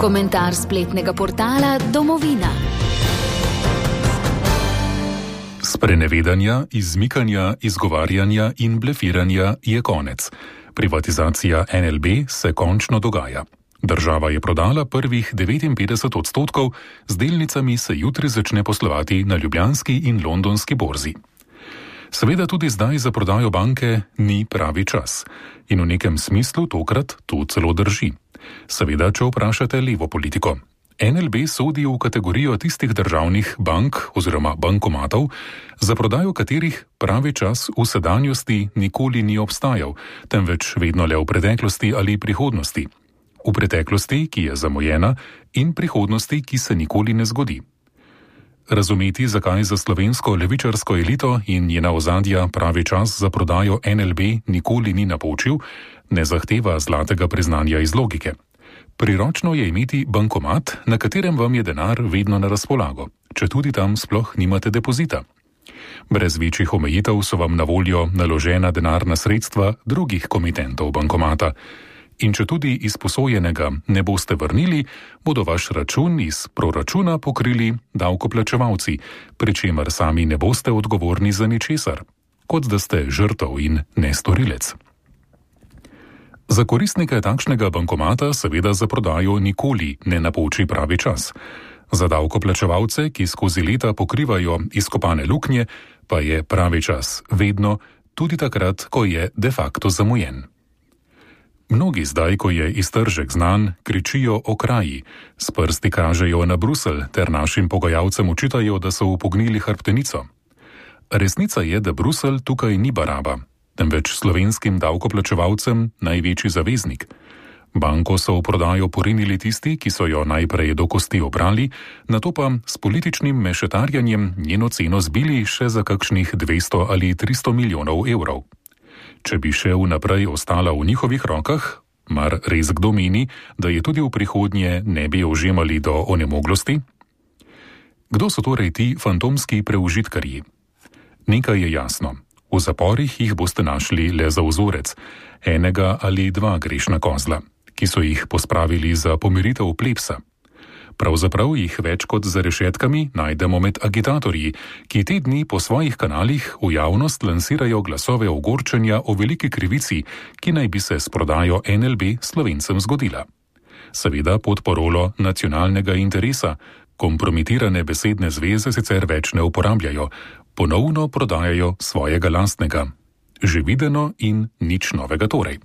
Komentar spletnega portala Domovina. Sprenevedanja, izmikanja, izgovarjanja in blefiranja je konec. Privatizacija NLB se končno dogaja. Država je prodala prvih 59%, z delnicami se jutri začne poslovati na ljubljanski in londonski borzi. Seveda tudi zdaj za prodajo banke ni pravi čas. In v nekem smislu tokrat to celo drži. Seveda, če vprašate levo politiko. NLB sodi v kategorijo tistih državnih bank oziroma bankomatov, za prodajo katerih pravi čas v sedanjosti nikoli ni obstajal, temveč vedno le v preteklosti ali prihodnosti. V preteklosti, ki je zamujena, in prihodnosti, ki se nikoli ne zgodi. Razumeti, zakaj za slovensko levičarsko elito in njena ozadja pravi čas za prodajo NLB nikoli ni napočil, ne zahteva zlatega priznanja iz logike. Priročno je imeti bankomat, na katerem vam je denar vedno na razpolago, če tudi tam sploh nimate depozita. Brez večjih omejitev so vam na voljo naložena denarna sredstva drugih komitentov bankomata. In če tudi izposojenega ne boste vrnili, bodo vaš račun iz proračuna pokrili davkoplačevalci, pri čemer sami ne boste odgovorni za ničesar, kot da ste žrtev in ne storilec. Za koristnike takšnega bankomata seveda za prodajo nikoli ne napoči pravi čas. Za davkoplačevalce, ki skozi leta pokrivajo izkopane luknje, pa je pravi čas vedno, tudi takrat, ko je de facto zamujen. Mnogi zdaj, ko je iztržek znan, kričijo o kraji, s prsti kažejo na Bruselj ter našim pogajalcem očitajo, da so upognili hrbtenico. Resnica je, da Bruselj tukaj ni baraba, temveč slovenskim davkoplačevalcem največji zaveznik. Banko so v prodajo porinili tisti, ki so jo najprej do kosti obrali, nato pa s političnim mešetarjanjem njeno ceno zbili še za kakšnih 200 ali 300 milijonov evrov. Če bi še vnaprej ostala v njihovih rokah, mar res kdo meni, da je tudi v prihodnje ne bi ožemali do onemoglosti? Kdo so torej ti fantomski preužitkarji? Nekaj je jasno. V zaporih jih boste našli le za vzorec, enega ali dva grešna kozla, ki so jih pospravili za pomiritev plebsa. Pravzaprav jih več kot za rešetkami najdemo med agitatorji, ki te dni po svojih kanalih v javnost lansirajo glasove ogorčenja o veliki krivici, ki naj bi se s prodajo NLB Slovencem zgodila. Seveda pod parolo nacionalnega interesa, kompromitirane besedne zveze sicer več ne uporabljajo, ponovno prodajajo svojega lastnega. Že videno in nič novega torej.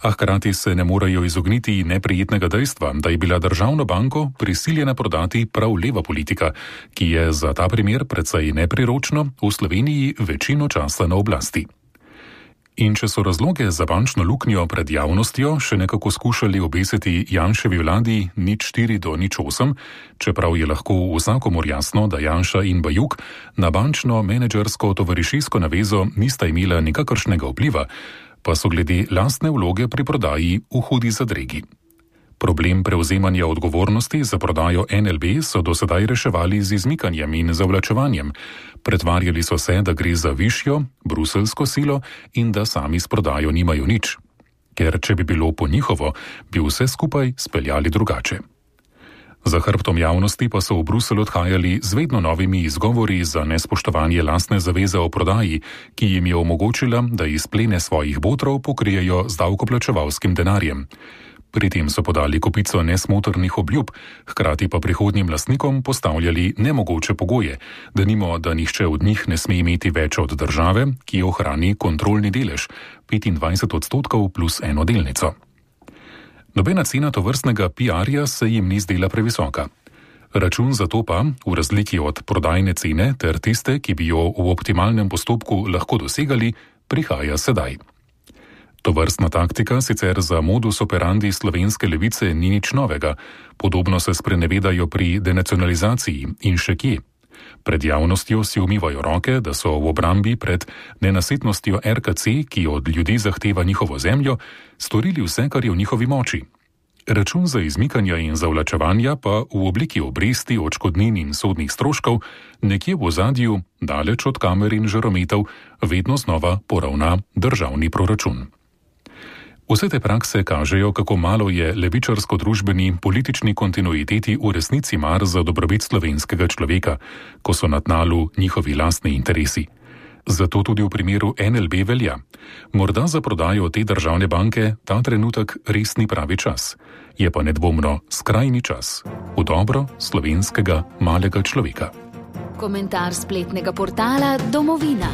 A hkrati se ne morejo izogniti neprijetnega dejstva, da je bila državno banko prisiljena prodati prav leva politika, ki je za ta primer precej nepriročno v Sloveniji večino časa na oblasti. In če so razloge za bančno luknjo pred javnostjo še nekako skušali obesiti Janševi vladi 0,4-0,8, čeprav je lahko vsakomur jasno, da Janša in Bajuk na bančno menedžersko tovarišijsko navezo nista imela nikakršnega vpliva, pa so glede lastne vloge pri prodaji v hudi zadregi. Problem prevzemanja odgovornosti za prodajo NLB so do sedaj reševali z izmikanjem in zavlačevanjem. Pretvarjali so se, da gre za višjo, bruselsko silo in da sami s prodajo nimajo nič. Ker če bi bilo po njihovo, bi vse skupaj speljali drugače. Za hrbtom javnosti pa so v Bruselj odhajali z vedno novimi izgovori za nespoštovanje lastne zaveze o prodaji, ki jim je omogočila, da izplene svojih botrov pokrijejo z davkoplačevalskim denarjem. Pri tem so podali kopico nesmotrnih obljub, hkrati pa prihodnjim lastnikom postavljali nemogoče pogoje, denimo, da nihče od njih ne sme imeti več od države, ki ohrani kontrolni delež, 25% plus eno delnico. Nobena cena tovrstnega PR-ja se jim ni zdela previsoka. Račun za to pa, v razliki od prodajne cene ter tiste, ki bi jo v optimalnem postopku lahko dosegali, prihaja sedaj. Tovrstna taktika sicer za modus operandi slovenske levice ni nič novega, podobno se sprenevedajo pri denacionalizaciji in še kje. Pred javnostjo si umivajo roke, da so v obrambi pred nenasitnostjo RKC, ki od ljudi zahteva njihovo zemljo, storili vse, kar je v njihovi moči. Račun za izmikanja in zavlačevanja pa v obliki obresti, odškodnin in sodnih stroškov nekje v ozadju, daleč od kamer in žarometov, vedno znova poravna državni proračun. Vse te prakse kažejo, kako malo je levičarsko-družbeni politični kontinuiteti v resnici mar za dobrobit slovenskega človeka, ko so na tnalu njihovi lastni interesi. Zato tudi v primeru NLB velja. Morda za prodajo te državne banke ta trenutek res ni pravi čas. Je pa nedvomno skrajni čas v dobro slovenskega malega človeka. Komentar spletnega portala Domovina.